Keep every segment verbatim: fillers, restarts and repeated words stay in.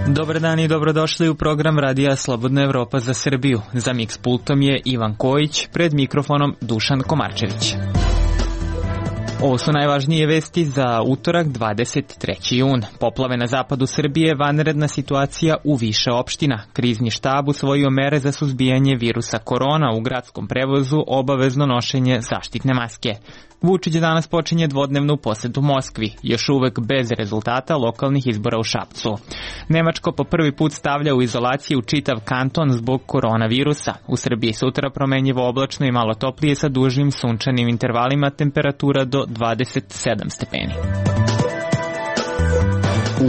Dobar dan i dobrodošli u program Radija Slobodna Evropa za Srbiju. Za miks pultom je Ivan Kojić, pred mikrofonom Dušan Komarčević. Ovo su najvažnije vesti za utorak dvadeset treći jun. Poplave na zapadu Srbije, vanredna situacija u više opština. Krizni štab usvojio mere za suzbijanje virusa korona, u gradskom prevozu obavezno nošenje zaštitne maske. Vučić danas počinje dvodnevnu posetu Moskvi, još uvek bez rezultata lokalnih izbora u Šapcu. Nemačko po prvi put stavlja u izolaciju čitav kanton zbog koronavirusa. U Srbiji sutra promenjivo oblačno i malo toplije sa dužim sunčanim intervalima, temperatura do dvadeset sedam stepeni.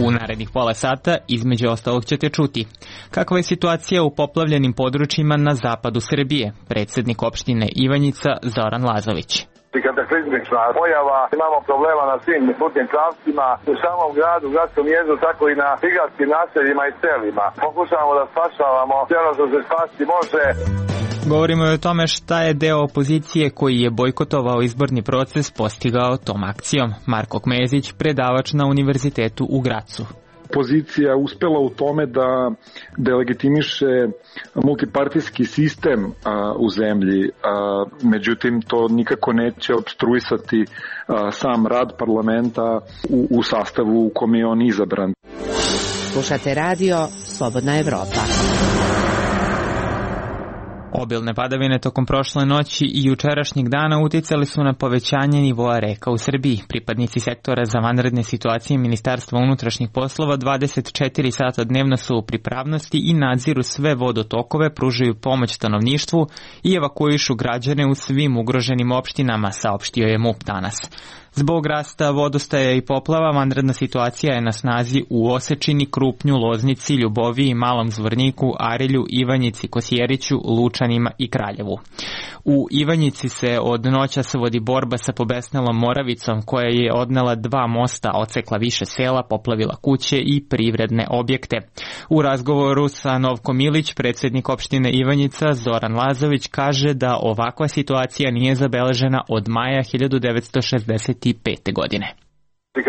U narednih pola sata, između ostalog, ćete čuti kakva je situacija u poplavljenim područjima na zapadu Srbije. Predsednik opštine Ivanjica Zoran Lazović. Kataklizmična pojava, imamo problema na svim putnim pravcima, u samom gradu, u gradskom jezdu, tako i na prigradskim naseljima i selima. Pokušavamo da spašavamo sve ono što se spasti može. Govorimo i o tome šta je deo opozicije koji je bojkotovao izborni proces postigao tom akcijom. Marko Kmezić, predavač na Univerzitetu u Gracu. Opozicija uspela u tome da delegitimiše multipartijski sistem a, u zemlji, a, međutim to nikako neće opstruisati a, sam rad parlamenta u, u sastavu u kome je on izabran. Slušate radio Slobodna Evropa. Obilne padavine tokom prošle noći i jučerašnjeg dana uticali su na povećanje nivoa reka u Srbiji. Pripadnici sektora za vanredne situacije Ministarstva unutrašnjih poslova dvadeset četiri sata dnevno su u pripravnosti i nadziru sve vodotokove, pružaju pomoć stanovništvu i evakuišu građane u svim ugroženim opštinama, saopštio je MUP danas. Zbog rasta vodostaja i poplava, vanredna situacija je na snazi u Osečini, Krupnju, Loznici, Ljuboviji, Malom Zvorniku, Arilju, Ivanjici, Kosjeriću, Lučanima i Kraljevu. U Ivanjici se od noćas vodi borba sa pobesnelom Moravicom, koja je odnela dva mosta, odsekla više sela, poplavila kuće i privredne objekte. U razgovoru sa Novkom Ilić, predsednik opštine Ivanjica Zoran Lazović kaže da ovakva situacija nije zabeležena od maja hiljadu devetsto šezdeset pete godine.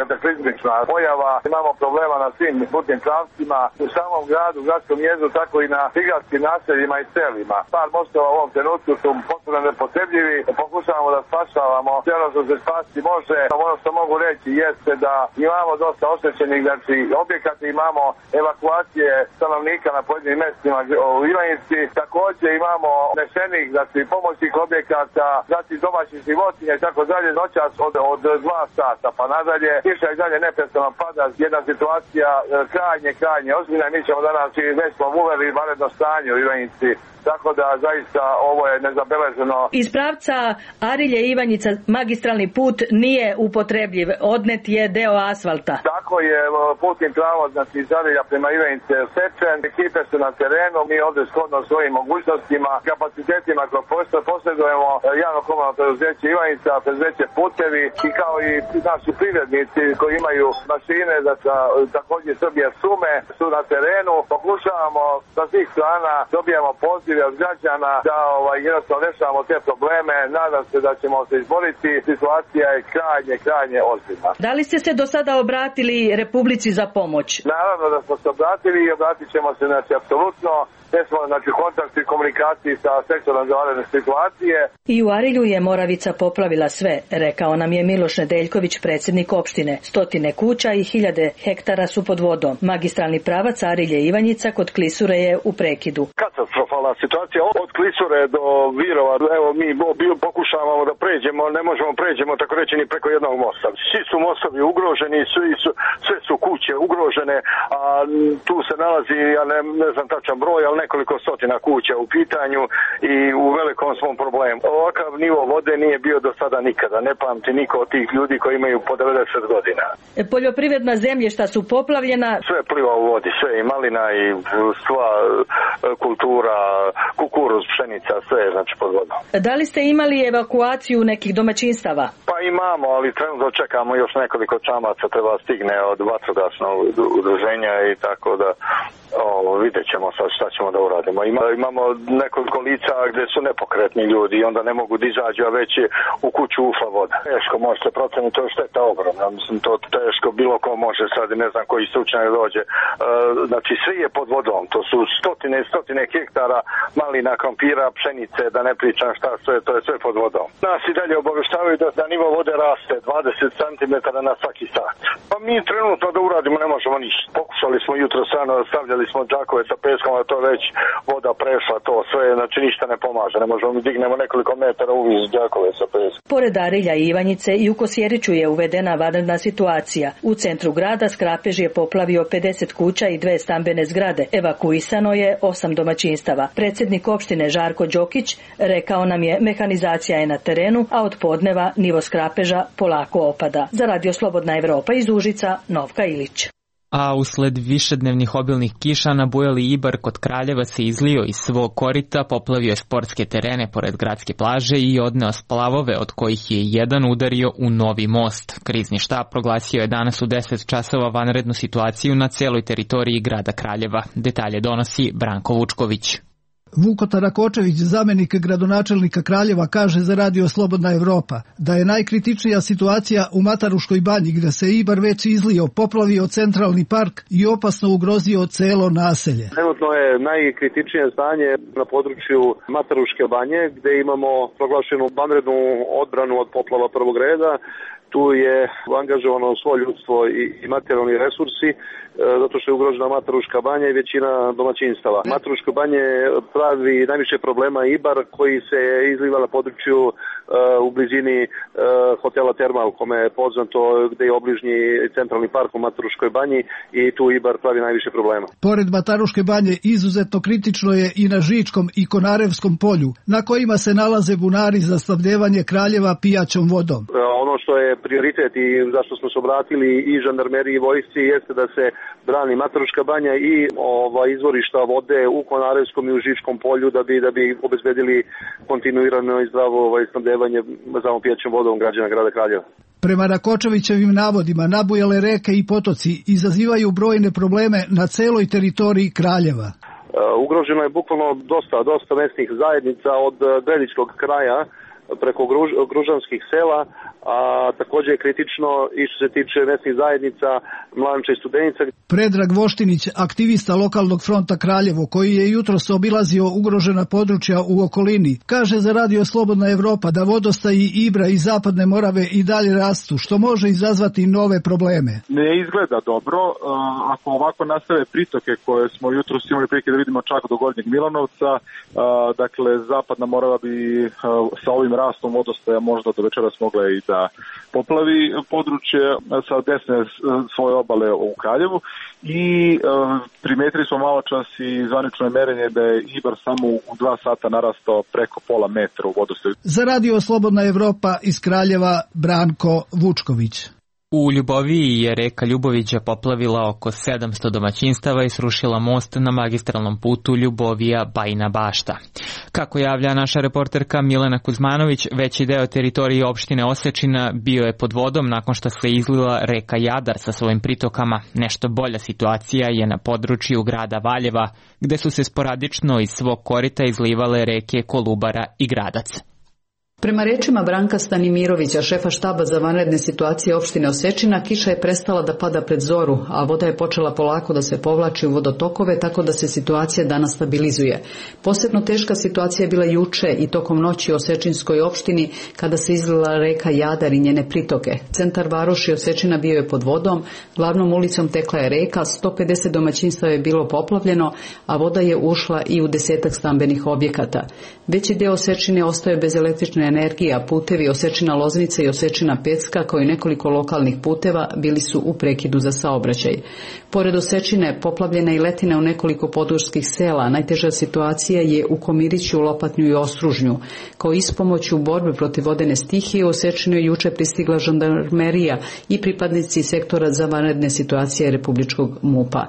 Kataklizmična pojava, imamo problema na svim putnim pravcima, u samom gradu, u gradskom jezdu, tako i na prigradskim naseljima i selima. Par mostova u ovom trenutku su potpuno nepotrebljivi, pokušavamo da spašavamo sve ono što se spasti može. Ono što mogu reći jeste da imamo dosta oštećenih, znači objekata, imamo evakuacije stanovnika na pojedinim mestima u Ivanjici, takođe imamo nešenih, znači pomoćnih objekata, znači domaćih životinja i tako dalje, noćas od, od dva sata pa nadalje. Kiša i dalje neprestano pada, jedna situacija krajnje, krajnje ozbiljna i mi ćemo danas i već smo uveli vanredno stanje u Ivanjici, tako da zaista ovo je nezabeleženo. Iz pravca Arilje Ivanjica magistralni put nije upotrebljiv, odnet je deo asfalta. Tako je, putni pravac, znači iz Arilja prema Ivanjice sečen, ekipe su na terenu, mi ovdje shodno svojim mogućnostima, kapacitetima koje posjedujemo, javno komunalno preduzeće Ivanjica, preduzeće Putevi i kao i naši privrednici koji imaju mašine, znači također Srbije Sume su na terenu, pokušavamo sa svih strana, dobijamo poziv od građana da ovaj, jednostavno rešavamo te probleme. Nadam se da ćemo se izboriti. Situacija je krajnje, krajnje ozbiljna. Da li ste se do sada obratili Republici za pomoć? Naravno da smo se obratili i obratit ćemo se, znači, apsolutno. Te smo, znači, kontakt i komunikaciji sa sektorom za vanredne situacije. I u Arilju je Moravica poplavila sve, rekao nam je Miloš Nedeljković, predsednik opštine. Stotine kuća i hiljade hektara su pod vodom. Magistralni pravac Arilje Ivanjica kod Klisure je u prekidu. Katastrofalna situacija od Klisure do Virova. Evo, mi pokušavamo da pređemo, ne možemo pređemo tako reći ni preko jednog mosta. Svi su mostovi ugroženi, svi su, sve su kuće ugrožene, a tu se nalazi, ja ne, ne znam tačan broj, ali nekoliko stotina kuća u pitanju i u velikom svom problemu. Ovakav nivo vode nije bio do sada nikada. Ne pamti niko od tih ljudi koji imaju po devedeset godina. Poljoprivredna zemljišta su poplavljena. Sve pliva u vodi, sve i malina i sva kultura, kukuruz, pšenica, sve je znači pod vodom. Da li ste imali evakuaciju nekih domaćinstava? Pa imamo, ali trenutno čekamo još nekoliko čamaca, treba stigne od vatrogasnog udruženja i tako da o, vidjet ćemo sad šta ćemo da uradimo. Ima, imamo nekoliko lica gdje su nepokretni ljudi i onda ne mogu da izađu, a već je u kuću ušla voda. Teško može se proceniti, to je šteta ogromna. Mislim, to teško bilo ko može sad, ne znam koji stručnjak dođe. E, znači, svi je pod vodom. To su stotine i stotine hektara malina, krompira, pšenice, da ne pričam šta sve, to je sve pod vodom. Nas i dalje obavještavaju da, da nivo vode raste dvadeset centimetara na svaki sat. Pa mi trenutno da uradimo ne možemo ništa. Pokušali smo jutro stvarno, stavljali smo džakove sa peskom, a to već voda prešla, to sve, znači ništa ne pomaže. Ne možemo mi dignemo nekoliko metara uviz džakove sa peskom. Pored Arilja i Ivanjice i u Kosjeriću je uvedena vanredna situacija. U centru grada Skrapež je poplavio pedeset kuća i dve stambene zgrade. Evakuisano je osam domaćinstava. Predsjednik opštine Žarko Đokić rekao nam je mehanizacija je na terenu, a od podneva nivo Skrapeža polako opada. Za Radio Slobodna Evropa iz Užica, Novka Ilić. A usled višednevnih obilnih kiša nabujali Ibar kod Kraljeva se izlio iz svog korita, poplavio sportske terene pored gradske plaže i odneo splavove, od kojih je jedan udario u novi most. Krizni štab proglasio je danas u deset časova vanrednu situaciju na celoj teritoriji grada Kraljeva. Detalje donosi Branko Vučković. Vuko Tarakočević, zamenik gradonačelnika Kraljeva, kaže za Radio Slobodna Evropa da je najkritičnija situacija u Mataruškoj banji, gde se Ibar već izlio, poplavio centralni park i opasno ugrozio celo naselje. Trenutno je najkritičnije stanje na području Mataruške banje, gde imamo proglašenu vanrednu odbranu od poplava prvog reda. Tu je angažovano svo ljudstvo i materijalni resursi, zato što je ugrožena Mataruška banja i većina domaćinstava. Mataruško banje pravi najviše problema Ibar, koji se izliva na području uh, u blizini uh, hotela Termal, kome je poznato, gde je obližnji centralni park u Mataruškoj banji i tu Ibar pravi najviše problema. Pored Mataruške banje izuzetno kritično je i na Žičkom i Konarevskom polju, na kojima se nalaze bunari za snabdevanje Kraljeva pijaćom vodom. Uh, ono što je prioritet i zašto smo se obratili i žandarmeriji i vojsci jeste da se brani Mataruška banja i ova izvorišta vode u Konarevskom i u Žičkom polju da bi da bi obezbedili kontinuirano i zdravo ovaj snabdevanje za pijaćom vodom građana grada Kraljeva. Prema Rakočevićevim navodima, nabujale reke i potoci izazivaju brojne probleme na celoj teritoriji Kraljeva. Uh, ugroženo je bukvalno dosta, dosta mesnih zajednica od Gredičkog kraja preko Gruž, Gružanskih sela, a također je kritično i što se tiče mesnih zajednica Mlanča i Studenica. Predrag Voštinić, aktivista lokalnog fronta Kraljevo, koji je jutros obilazio ugrožena područja u okolini, kaže za Radio Slobodna Evropa da vodostaji Ibra i Zapadne Morave i dalje rastu, što može izazvati nove probleme. Ne izgleda dobro. Ako ovako nastave pritoke koje smo jutros imali prilike da vidimo čak do Gornjeg Milanovca, dakle Zapadna Morava bi sa ovim rastom vodostaja možda do večeras mogla i da poplavi područje sa desne svoje obale u Kraljevu i e, primetili smo malo čas i zvanično merenje da je Ibar samo u dva sata narastao preko pola metra u vodostaju. Za Radio Slobodna Evropa iz Kraljeva, Branko Vučković. U Ljuboviji je reka Ljubovića poplavila oko sedamsto domaćinstava i srušila most na magistralnom putu Ljubovija-Bajina Bašta. Kako javlja naša reporterka Milena Kuzmanović, veći deo teritorije opštine Osečina bio je pod vodom nakon što se izlila reka Jadar sa svojim pritokama. Nešto bolja situacija je na području grada Valjeva, gde su se sporadično iz svog korita izlivale reke Kolubara i Gradac. Prema rečima Branka Stanimirovića, šefa štaba za vanredne situacije opštine Osečina, kiša je prestala da pada pred zoru, a voda je počela polako da se povlači u vodotokove, tako da se situacija danas stabilizuje. Posebno teška situacija je bila juče i tokom noći u Osečinskoj opštini, kada se izlila reka Jadar i njene pritoke. Centar varoši Osečina bio je pod vodom, glavnom ulicom tekla je reka, sto pedeset domaćinstava je bilo poplavljeno, a voda je ušla i u desetak stambenih objekata. Veći deo Osečine ostaje bez električne energija, putevi Osečina Loznica i Osečina Pecka, kao i nekoliko lokalnih puteva, bili su u prekidu za saobraćaj. Pored Osečine, poplavljena i letina u nekoliko područskih sela. Najteža situacija je u Komiriću, Lopatnju i Ostružnju. Kao ispomoć u borbi protiv vodene stihije, u Osečinu je juče pristigla žandarmerija i pripadnici sektora za vanredne situacije Republičkog MUP-a.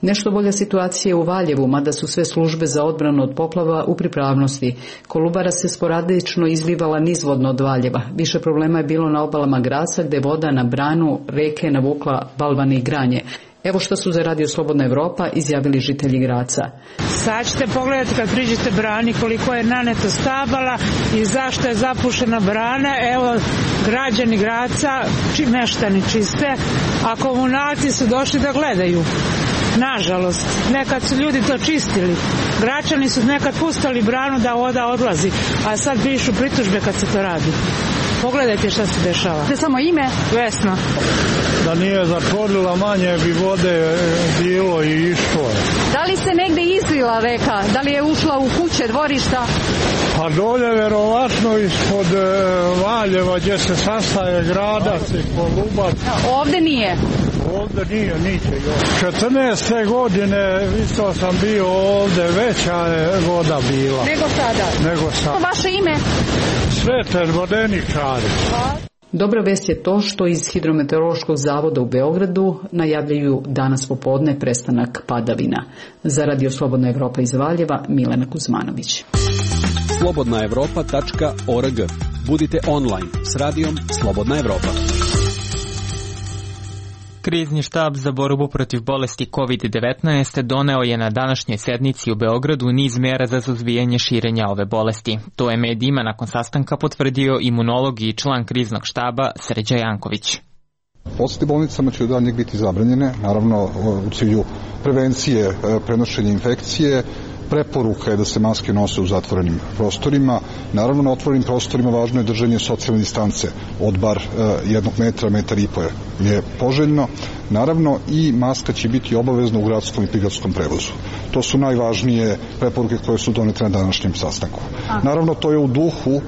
Nešto bolja situacija je u Valjevu, mada su sve službe za odbranu od poplava u pripravnosti. Kolubara se sporadično izlivala nizvodno od Valjeva. Više problema je bilo na obalama Graca, gde voda na branu reke navukla balvane i granje. Evo što su za Radio Slobodna Evropa izjavili žitelji Graca. Sad ćete pogledati kad priđete brani koliko je naneto stabala i zašto je zapušena brana. Evo, građani Graca, či meštani čiste, a komunalci su došli da gledaju. Nažalost, nekad su ljudi to čistili. Gračani su nekad pustali branu da voda odlazi, a sad pišu pritužbe kad se to radi. Pogledajte šta se dešava. Da samo ime? Vesna. Da nije zatvorila, manje bi vode bilo i išlo. Da li se negde izlila reka? Da li je ušla u kuće, dvorišta? Pa dolje verovatno ispod Valjeva gdje se sastaje Gradac i Kolubar. Ovde nije? Ovde nije, niće još. četrnaeste godine isto sam bio ovde, veća je voda bila. Nego sada? Nego sada. Vaše ime? Sveter Vodeničari. Dobra vest je to što iz Hidrometeorološkog zavoda u Beogradu najavljaju danas popodne prestanak padavina. Za Radio Slobodna Evropa iz Valjeva, Milena Kuzmanović. slobodna evropa tačka org. Budite online s radijom Slobodna Evropa. Krizni štab za borbu protiv bolesti kovid devetnaest doneo je na današnjoj sednici u Beogradu niz mera za suzbijanje širenja ove bolesti. To je medijima nakon sastanka potvrdio imunolog i član kriznog štaba Srđa Janković. Posete bolnicama će od daljnjeg biti zabranjene, naravno u cilju prevencije prenošenja infekcije. Preporuka je da se maske nose u zatvorenim prostorima. Naravno, na otvorenim prostorima važno je držanje socijalne distance od bar jednog metra, metar i po je poželjno. Naravno, i maska će biti obavezna u gradskom i prigradskom prevozu. To su najvažnije preporuke koje su donete na današnjem sastanku. Naravno, to je u duhu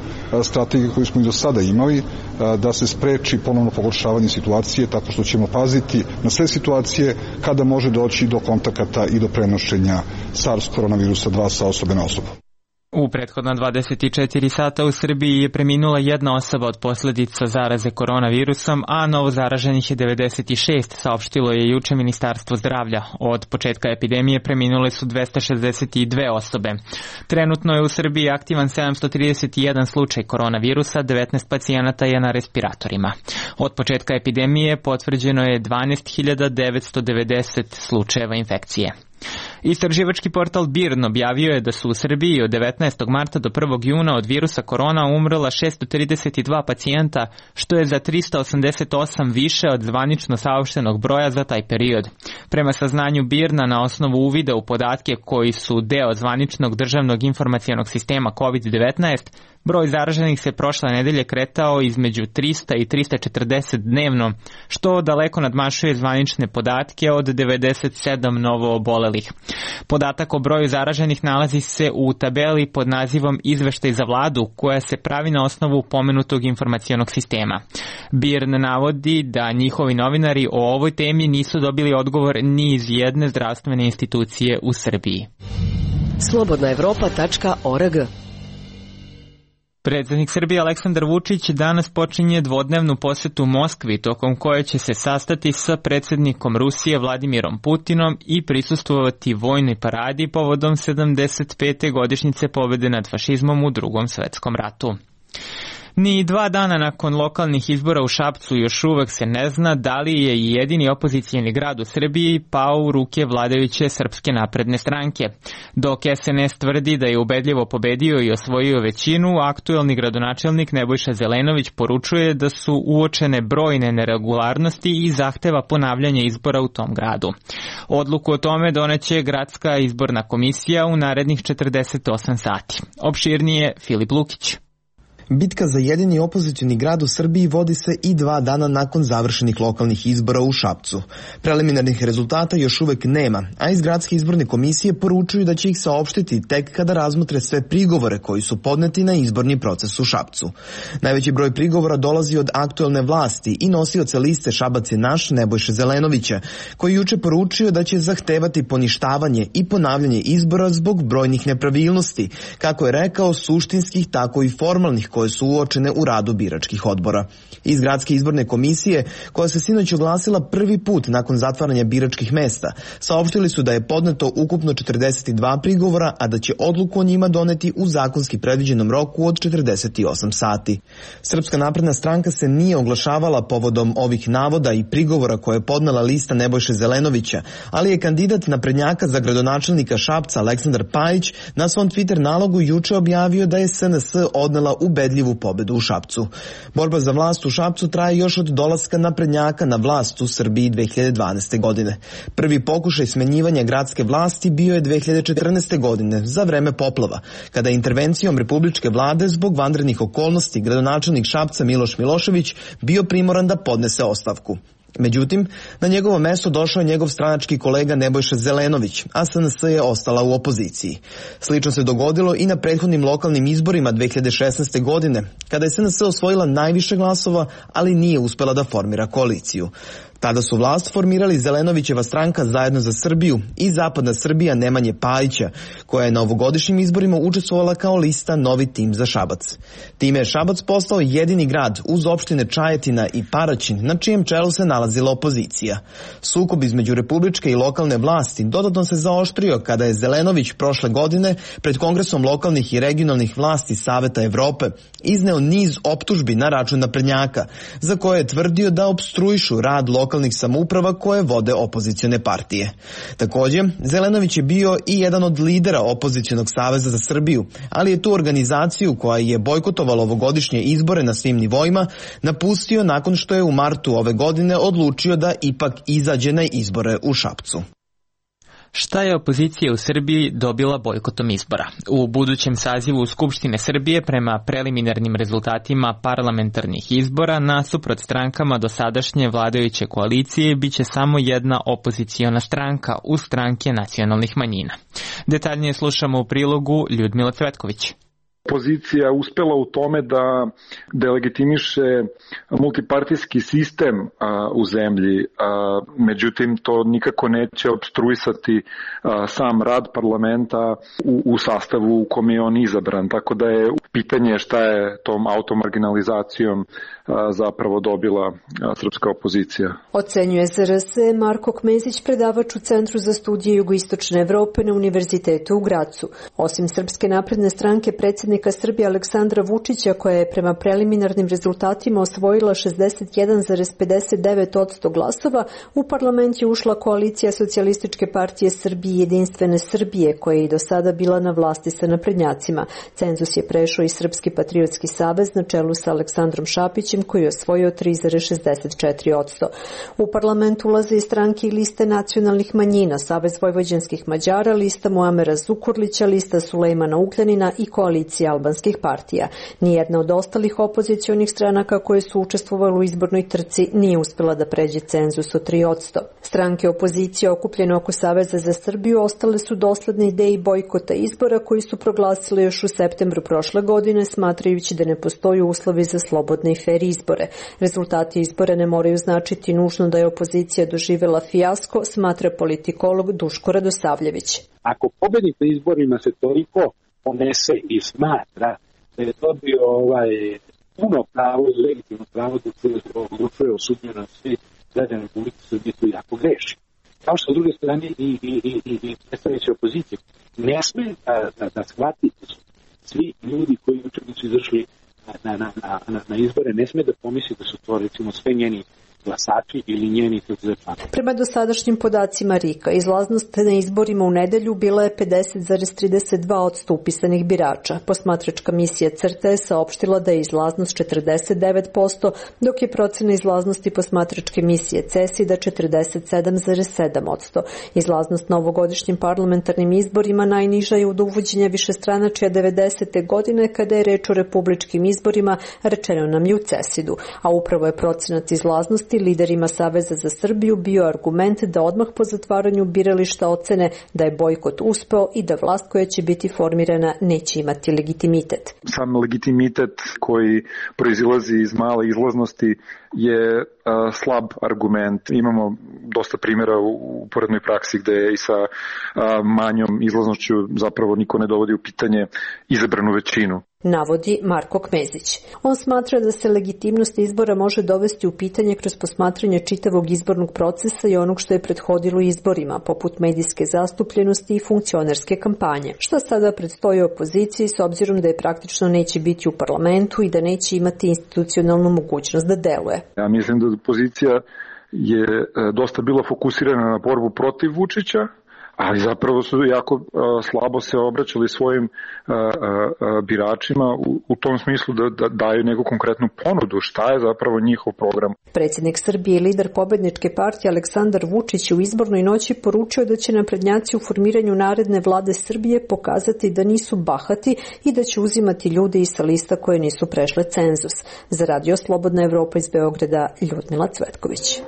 strategije koju smo i do sada imali, da se spreči ponovno pogoršavanje situacije, tako što ćemo paziti na sve situacije kada može doći do kontakata i do prenošenja SARS koronavirusa dva sa osobe na osobu. U prethodna dvadeset četiri sata u Srbiji je preminula jedna osoba od posljedica zaraze koronavirusom, a novo zaraženih je devedeset šest, saopštilo je juče Ministarstvo zdravlja. Od početka epidemije preminule su dvesta šezdeset dve osobe. Trenutno je u Srbiji aktivan sedamsto trideset jedan slučaj koronavirusa, devetnaest pacijenata je na respiratorima. Od početka epidemije potvrđeno je dvanaest hiljada devetsto devedeset slučajeva infekcije. Istraživački portal BIRN objavio je da su u Srbiji od devetnaestog marta do prvog juna od virusa korona umrla šesto trideset dva pacijenta, što je za trista osamdeset osam više od zvanično saopštenog broja za taj period. Prema saznanju BIRN-a na osnovu uvida u podatke koji su deo zvaničnog državnog informacionog sistema kovid devetnaest, broj zaraženih se prošle nedelje kretao između trista i trista četrdeset dnevno, što daleko nadmašuje zvanične podatke od devedeset sedam novo obolelih. Podatak o broju zaraženih nalazi se u tabeli pod nazivom Izveštaj za vladu, koja se pravi na osnovu pomenutog informacionog sistema. BIRN navodi da njihovi novinari o ovoj temi nisu dobili odgovor ni iz jedne zdravstvene institucije u Srbiji. slobodna evropa tačka org. Predsjednik Srbije Aleksandar Vučić danas počinje dvodnevnu posetu Moskvi, tokom koje će se sastati sa predsjednikom Rusije Vladimirom Putinom i prisustvovati vojnoj paradi povodom sedamdeset pete godišnjice pobjede nad fašizmom u Drugom svjetskom ratu. Ni dva dana nakon lokalnih izbora u Šapcu još uvek se ne zna da li je jedini opozicijeni grad u Srbiji pao u ruke vladajuće Srpske napredne stranke. Dok es en es tvrdi da je ubedljivo pobedio i osvojio većinu, aktuelni gradonačelnik Nebojša Zelenović poručuje da su uočene brojne neregularnosti i zahteva ponavljanje izbora u tom gradu. Odluku o tome doneće gradska izborna komisija u narednih četrdeset osam sati. Opširnije Filip Lukić. Bitka za jedini opozicioni grad u Srbiji vodi se i dva dana nakon završenih lokalnih izbora u Šapcu. Preliminarnih rezultata još uvek nema, a iz gradske izborne komisije poručuju da će ih saopštiti tek kada razmotre sve prigovore koji su podneti na izborni proces u Šapcu. Najveći broj prigovora dolazi od aktuelne vlasti i nosioca liste Šabac je naš Nebojše Zelenovića, koji juče poručio da će zahtevati poništavanje i ponavljanje izbora zbog brojnih nepravilnosti, kako je rekao, suštinskih tako i formalnih koje su uočene u radu biračkih odbora. Iz Gradske izborne komisije, koja se sinoć oglasila prvi put nakon zatvaranja biračkih mesta, saopštili su da je podneto ukupno četrdeset dva prigovora, a da će odluku o njima doneti u zakonski predviđenom roku od četrdeset osam sati. Srpska napredna stranka se nije oglašavala povodom ovih navoda i prigovora koje je podnela lista Nebojše Zelenovića, ali je kandidat naprednjaka za gradonačelnika Šapca Aleksandar Pajić na svom Twitter nalogu juče objavio da je es en es odnela ubedljivu pobedu u Šapcu. Borba za vlast u Šapcu traje još od dolaska naprednjaka na vlast u Srbiji dve hiljade dvanaeste. godine. Prvi pokušaj smenjivanja gradske vlasti bio je dve hiljade četrnaeste. godine za vreme poplava, kada je intervencijom republičke vlade zbog vanrednih okolnosti gradonačelnik Šapca Miloš Milošević bio primoran da podnese ostavku. Međutim, na njegovo mesto došao je njegov stranački kolega Nebojša Zelenović, a es en es je ostala u opoziciji. Slično se dogodilo i na prethodnim lokalnim izborima dve hiljade šesnaeste. godine, kada je es en es osvojila najviše glasova, ali nije uspela da formira koaliciju. Tada su vlast formirali Zelenovićeva stranka Zajedno za Srbiju i Zapadna Srbija Nemanje Pajića, koja je na ovogodišnjim izborima učestvovala kao lista Novi tim za Šabac. Time je Šabac postao jedini grad uz opštine Čajetina i Paraćin, na čijem čelu se nalazila opozicija. Sukob između republičke i lokalne vlasti dodatno se zaoštrio kada je Zelenović prošle godine pred Kongresom lokalnih i regionalnih vlasti Saveta Evrope izneo niz optužbi na račun naprednjaka, za koje je tvrdio da opstruišu rad lokalnih lokalnih samouprava koje vode opozicione partije. Takođe, Zelenović je bio i jedan od lidera opozicionog Saveza za Srbiju, ali je tu organizaciju koja je bojkotovala ovogodišnje izbore na svim nivoima napustio nakon što je u martu ove godine odlučio da ipak izađe na izbore u Šapcu. Šta je opozicija u Srbiji dobila bojkotom izbora? U budućem sazivu Skupštine Srbije prema preliminarnim rezultatima parlamentarnih izbora nasuprot strankama dosadašnje vladajuće koalicije biće samo jedna opoziciona stranka uz stranke nacionalnih manjina. Detaljnije slušamo u prilogu Ljudmila Cvetković. Opozicija uspela u tome da delegitimiše multipartijski sistem a, u zemlji, a, međutim to nikako neće opstruisati a, sam rad parlamenta u, u sastavu u kom je on izabran, tako da je pitanje šta je tom automarginalizacijom a, zapravo dobila a, srpska opozicija. Ocenjuje es er es Marko Kmezić, predavač u Centru za studije jugoistočne Evrope na Univerzitetu u Gracu. Osim Srpske napredne stranke, predsjednik Srbije Aleksandra Vučića, koja je prema preliminarnim rezultatima osvojila šezdeset jedan zarez pedeset devet posto glasova, u parlament je ušla koalicija Socijalističke partije Srbije i Jedinstvene Srbije, koja je i do sada bila na vlasti sa naprednjacima. Cenzus je prešao i Srpski patriotski savez na čelu sa Aleksandrom Šapićem, koji je osvojio tri zarez šezdeset četiri posto. U parlament ulaze i stranke i liste nacionalnih manjina, Savez vojvođanskih Mađara, lista Muamera Zukorlića, lista Sulejmana Ugljanina i koalicija albanskih partija. Nijedna od ostalih opozicionih stranaka koje su učestvovali u izbornoj trci nije uspela da pređe cenzus od tri posto. Stranke opozicije okupljene oko Saveza za Srbiju ostale su dosledne ideji bojkota izbora koji su proglasile još u septembru prošle godine, smatrajući da ne postoji uslovi za slobodne i fer izbore. Rezultati izbora ne moraju značiti nužno da je opozicija doživela fijasko, smatra politikolog Duško Radosavljević. Ako pobednik na izborima se toliko ponese i smatra da je dobio ovaj puno pravo i legitimno pravo da se odlučuje o sudbini na svi građana Republike Srbije, to jako greši. Kao što s druge strane i, i, i, i, i predstavnici opozicije ne sme da, da, da shvati svi ljudi koji juče su izašli na, na, na, na, na izbore, ne sme da pomisli da su to recimo sve njeni glasači ili njeni izračunati. Prema dosadašnjim podacima RIK-a, izlaznost na izborima u nedelju bila je pedeset zarez trideset dva posto upisanih birača. Posmatračka misija CRTA je saopštila da je izlaznost četrdeset devet posto, dok je procena izlaznosti posmatračke misije CESID-a četrdeset sedam zarez sedam posto. Izlaznost na ovogodišnjim parlamentarnim izborima najniža je od uvođenja višestranačja devedesete godine, kada je reč o republičkim izborima, rečeno nam je u CESID-u, a upravo je procenat izlaznosti liderima Saveza za Srbiju bio argument da odmah po zatvaranju birališta ocene da je bojkot uspeo i da vlast koja će biti formirana neće imati legitimitet. Sam legitimitet koji proizilazi iz male izlaznosti je a, slab argument. Imamo dosta primjera u uporednoj praksi gde i sa a, manjom izlaznošću zapravo niko ne dovodi u pitanje izabranu većinu. navodi Marko Kmezić. On smatra da se legitimnost izbora može dovesti u pitanje kroz posmatranje čitavog izbornog procesa i onog što je prethodilo izborima, poput medijske zastupljenosti i funkcionerske kampanje. Šta sada predstoji opoziciji s obzirom da je praktično neće biti u parlamentu i da neće imati institucionalnu mogućnost da deluje? Ja mislim da opozicija je dosta bila fokusirana na borbu protiv Vučića, ali zapravo su jako uh, slabo se obraćali svojim uh, uh, biračima u, u tom smislu da, da daju neku konkretnu ponudu šta je zapravo njihov program. Predsjednik Srbije i lider pobedničke partije Aleksandar Vučić u izbornoj noći poručio da će naprednjaci u formiranju naredne vlade Srbije pokazati da nisu bahati i da će uzimati ljude iz sa lista koje nisu prešle cenzus. Za Radio Slobodna Evropa iz Beograda, Ljudmila Cvetković.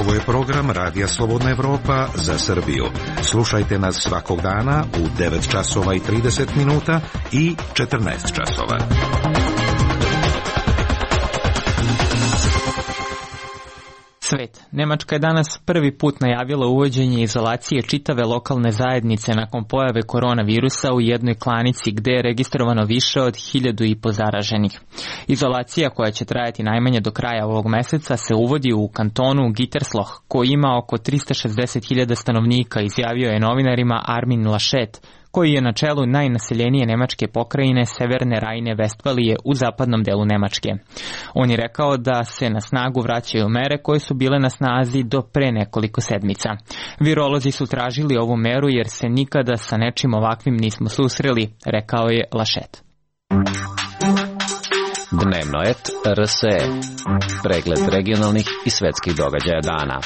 Ovo je program Radija Slobodna Evropa za Srbiju. Slušajte nas svakog dana u devet časova i trideset minuta i četrnaest časova. Svet. Nemačka je danas prvi put najavila uvođenje izolacije čitave lokalne zajednice nakon pojave koronavirusa u jednoj klanici gde je registrovano više od hiljadu i po zaraženih. Izolacija koja će trajati najmanje do kraja ovog meseca se uvodi u kantonu Gütersloh koji ima oko trista šezdeset hiljada stanovnika, izjavio je novinarima Armin Laschet, koji je na čelu najnaseljenije nemačke pokrajine Severne Rajne-Vestfalije u zapadnom delu Nemačke. On je rekao da se na snagu vraćaju mere koje su bile na snazi do pre nekoliko sedmica. Virolozi su tražili ovu meru jer se nikada sa nečim ovakvim nismo susreli, rekao je Laschet. Dnevno et R S E. Pregled regionalnih i svetskih događaja dana.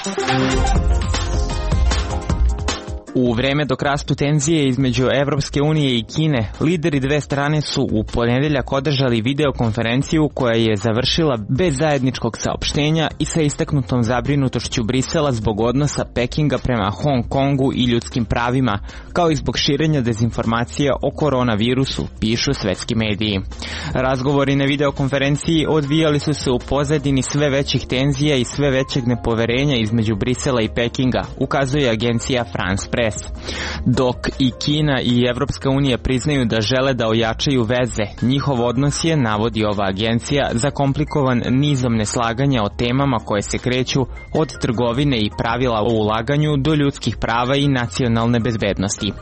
U vreme dok rastu tenzije između Evropske unije i Kine, lideri dve strane su u ponedeljak održali videokonferenciju koja je završila bez zajedničkog saopštenja i sa istaknutom zabrinutošću Brisela zbog odnosa Pekinga prema Hong Kongu i ljudskim pravima, kao i zbog širenja dezinformacija o koronavirusu, pišu svetski mediji. Razgovori na videokonferenciji odvijali su se u pozadini sve većih tenzija i sve većeg nepoverenja između Brisela i Pekinga, ukazuje agencija France Press. Dok i Kina i Evropska unija priznaju da žele da ojačaju veze, njihov odnos je, navodi ova agencija, zakomplikovan nizom neslaganja o temama koje se kreću od trgovine i pravila o ulaganju do ljudskih prava i nacionalne bezbednosti.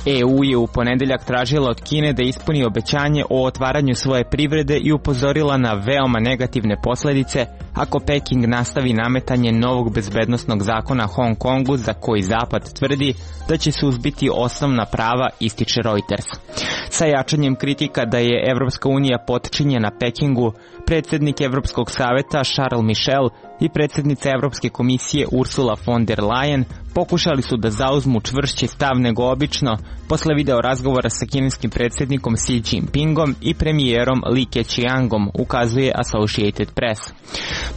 E U je u ponedeljak tražila od Kine da ispuni obećanje o otvaranju svoje privrede i upozorila na veoma negativne posledice ako Peking nastavi nametanje novog bezbednosnog zakona Hong Kongu za koji Zapad tvrdi da će suzbiti osnovna prava, ističe Reuters. Sa jačanjem kritika da je Evropska unija potčinjena Pekingu, predsjednik Evropskog saveta Charles Michel i predsjednica Evropske komisije Ursula von der Leyen pokušali su da zauzmu čvršći stav nego obično posle video razgovora sa kineskim predsjednikom Xi Jinpingom i premijerom Li Keqiangom, ukazuje Associated Press.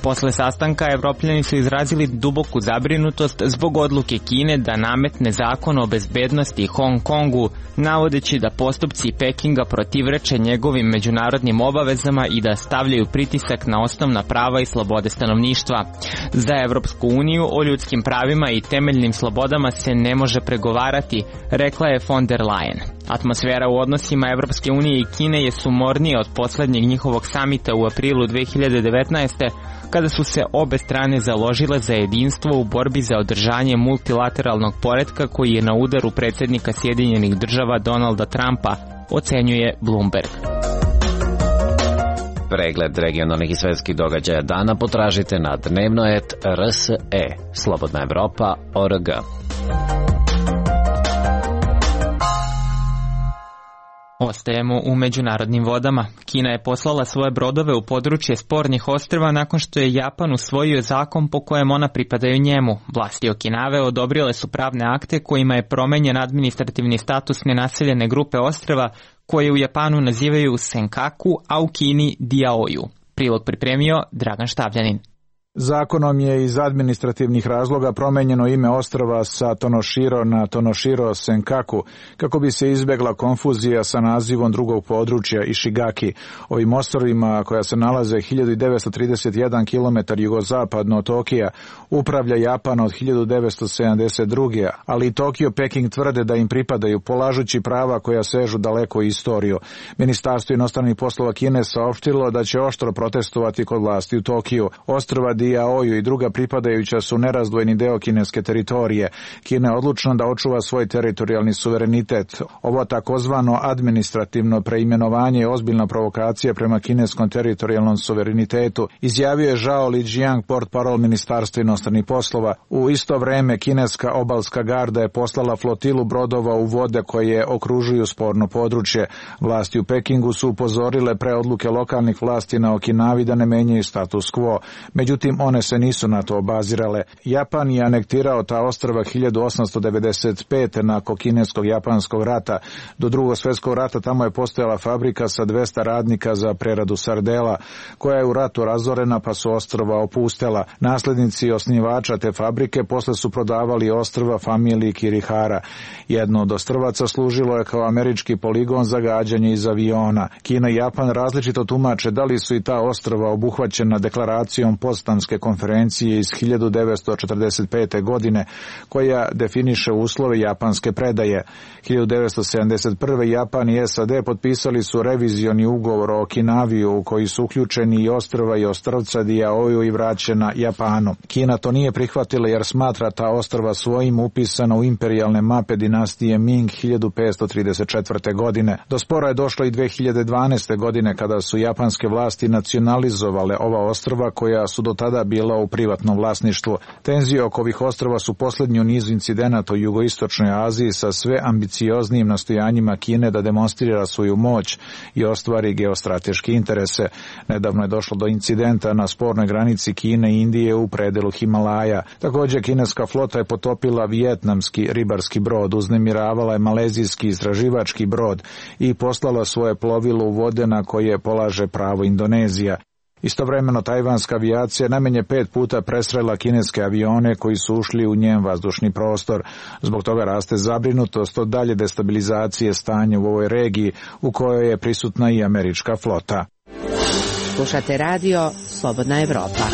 Posle sastanka Evropljani su izrazili duboku zabrinutost zbog odluke Kine da nametne zakon o bezbednosti Hong Kongu, navodeći da postupci Pekinga protivreče njegovim međunarodnim obavezama i da stavljaju pritisak na osnovna prava i slobode stanovništva. Za Evropsku uniju o ljudskim pravima i temeljnim slobodama se ne može pregovarati, rekla je von der Leyen. Atmosfera u odnosima Evropske unije i Kine je sumornija od poslednjeg njihovog samita u aprilu dve hiljade devetnaeste. kada su se obe strane založile za jedinstvo u borbi za održanje multilateralnog poretka koji je na udaru predsjednika Sjedinjenih država Donalda Trumpa, ocenjuje Bloomberg. Pregled regionalnih i svetskih događaja dana potražite na dnevno et R S E, Slobodna Evropa, O R G. Ostajemo u međunarodnim vodama. Kina je poslala svoje brodove u područje spornih ostrva nakon što je Japan usvojio zakon po kojem ona pripadaju njemu. Vlasti Okinave odobrile su pravne akte kojima je promenjen administrativni status nenaseljene grupe ostrva koje u Japanu nazivaju Senkaku, a u Kini Diaoju. Prilog pripremio Dragan Štavljanin. Zakonom je iz administrativnih razloga promenjeno ime ostrva sa Tonoshiro na Tonoshiro Senkaku kako bi se izbegla konfuzija sa nazivom drugog područja Ishigaki. Ovim ostrvima, koja se nalaze hiljadu devetsto trideset jedan kilometar jugozapadno od Tokija, upravlja Japan od hiljadu devetsto sedamdeset druge. ali i Tokio i Peking tvrde da im pripadaju, polažući prava koja sežu daleko u istoriju. Ministarstvo inostranih poslova Kine saopštilo da će oštro protestovati kod vlasti u Tokiju. Ostrva Diaoju i druga pripadajuća su nerazdvojni deo kineske teritorije. Kina je odlučna da očuva svoj teritorijalni suverenitet. Ovo takozvano administrativno preimenovanje je ozbiljna provokacija prema kineskom teritorijalnom suverenitetu, izjavio je Zhao Lijiang, portparol Ministarstva inostranih poslova. U isto vreme kineska obalska garda je poslala flotilu brodova u vode koje okružuju sporno područje. Vlasti u Pekingu su upozorile pre odluke lokalnih vlasti na Okinavi da ne menjaju status quo. Međutim, one se nisu na to obazirale. Japan je anektirao ta ostrva hiljadu osamsto devedeset pete nakon kineskog-japanskog rata. Do drugog svjetskog rata tamo je postojala fabrika sa dvesta radnika za preradu sardela, koja je u ratu razorena pa su ostrva opustela. Naslednici osnivača te fabrike posle su prodavali ostrva familiji Kirihara. Jedno od ostrvaca služilo je kao američki poligon za gađanje iz aviona. Kina i Japan različito tumače da li su i ta ostrva obuhvaćena deklaracijom Potsdamske konferencije iz hiljadu devetsto četrdeset pete. godine, koja definiše uslove japanske predaje. hiljadu devetsto sedamdeset prve. Japan i S A D potpisali su revizioni ugovor o Okinavi u koji su uključeni i ostrva i ostrvca Diaoju i vraćena Japanu. Kina to nije prihvatila jer smatra ta ostrva svojim upisano u imperijalne mape dinastije Ming hiljadu petsto trideset četvrte. godine. Do spora je došlo i dve hiljade dvanaeste. godine kada su japanske vlasti nacionalizovale ova ostrva koja su do tada bila u privatnom vlasništvu. Tenzije oko ovih ostrva su poslednji u nizu incidenata u jugoistočnoj Aziji sa sve ambicioznijim nastojanjima Kine da demonstrira svoju moć i ostvari geostrateške interese. Nedavno je došlo do incidenta na spornoj granici Kine i Indije u predelu Himalaja. Također kineska flota je potopila vijetnamski ribarski brod, uznemiravala je malezijski istraživački brod i poslala svoje plovilo u vode na koje polaže pravo Indonezija. Istovremeno tajvanska avijacija najmanje pet puta presrela kineske avione koji su ušli u njen vazdušni prostor. Zbog toga raste zabrinutost od dalje destabilizacije stanja u ovoj regiji u kojoj je prisutna i američka flota. Slušate radio Slobodna Evropa.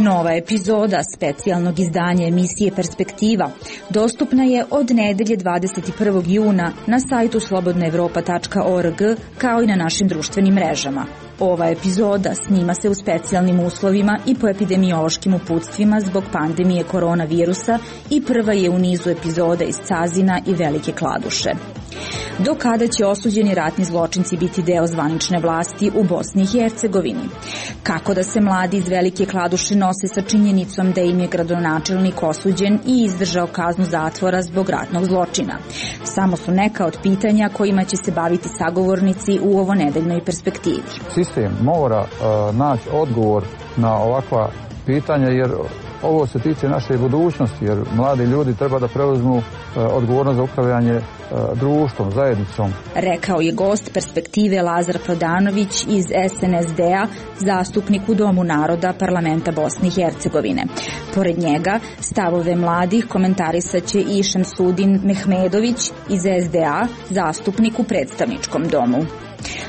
Nova epizoda specijalnog izdanja emisije Perspektiva dostupna je od nedelje dvadeset prvog juna na sajtu slobodna evropa tačka org kao i na našim društvenim mrežama. Ova epizoda snima se u specijalnim uslovima i po epidemiološkim uputstvima zbog pandemije koronavirusa i prva je u nizu epizoda iz Cazina i Velike Kladuše. Do kada će osuđeni ratni zločinci biti deo zvanične vlasti u Bosni i Hercegovini? Kako da se mladi iz Velike Kladuše nose sa činjenicom da im je gradonačelnik osuđen i izdržao kaznu zatvora zbog ratnog zločina? Samo su neka od pitanja kojima će se baviti sagovornici u ovo nedeljnoj perspektivi. Sistem mora uh, naći odgovor na ovakva pitanja jer ovo se tiče naše budućnosti, jer mladi ljudi treba da preuzmu uh, odgovornost za upravljanje uh, društvom, zajednicom. Rekao je gost Perspektive Lazar Prodanović iz S N S D-a, zastupnik u Domu naroda Parlamenta Bosne i Hercegovine. Pored njega, stavove mladih komentarisat će i Šemsudin Mehmedović iz S D A, zastupnik u predstavničkom domu.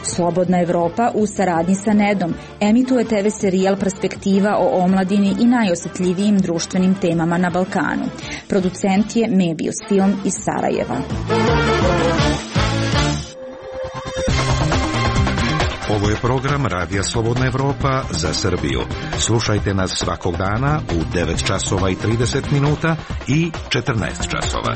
Slobodna Evropa u saradnji sa Nedom emituje te ve serijal Perspektiva o omladini i najosetljivijim društvenim temama na Balkanu. Producent je Mebius Film iz Sarajeva. Ovo je program Radija Slobodna Evropa za Srbiju. Slušajte nas svakog dana u devet časova i trideset minuta i četrnaest časova.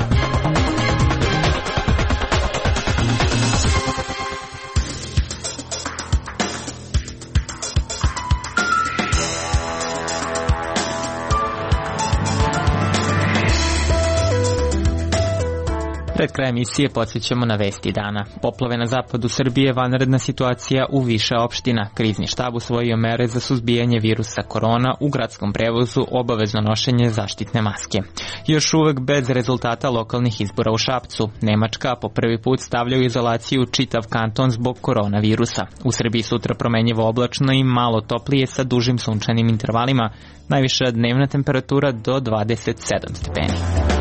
Pred kraj emisije podsjećamo na vesti dana. Poplave na zapadu Srbije, vanredna situacija u više opština. Krizni štab usvojio mere za suzbijanje virusa korona, u gradskom prevozu obavezno nošenje zaštitne maske. Još uvek bez rezultata lokalnih izbora u Šapcu. Nemačka po prvi put stavlja u izolaciju čitav kanton zbog koronavirusa. U Srbiji sutra promenjivo oblačno i malo toplije sa dužim sunčanim intervalima. Najviša dnevna temperatura do dvadeset sedam stepeni.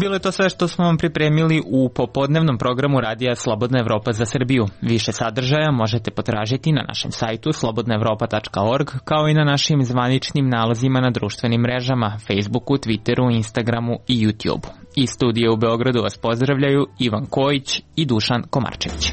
Bilo je to sve što smo vam pripremili u popodnevnom programu radija Slobodna Evropa za Srbiju. Više sadržaja možete potražiti na našem sajtu slobodna evropa tačka org, kao i na našim zvaničnim nalozima na društvenim mrežama, Facebooku, Twitteru, Instagramu i YouTubeu. Iz studija u Beogradu vas pozdravljaju Ivan Kojić i Dušan Komarčević.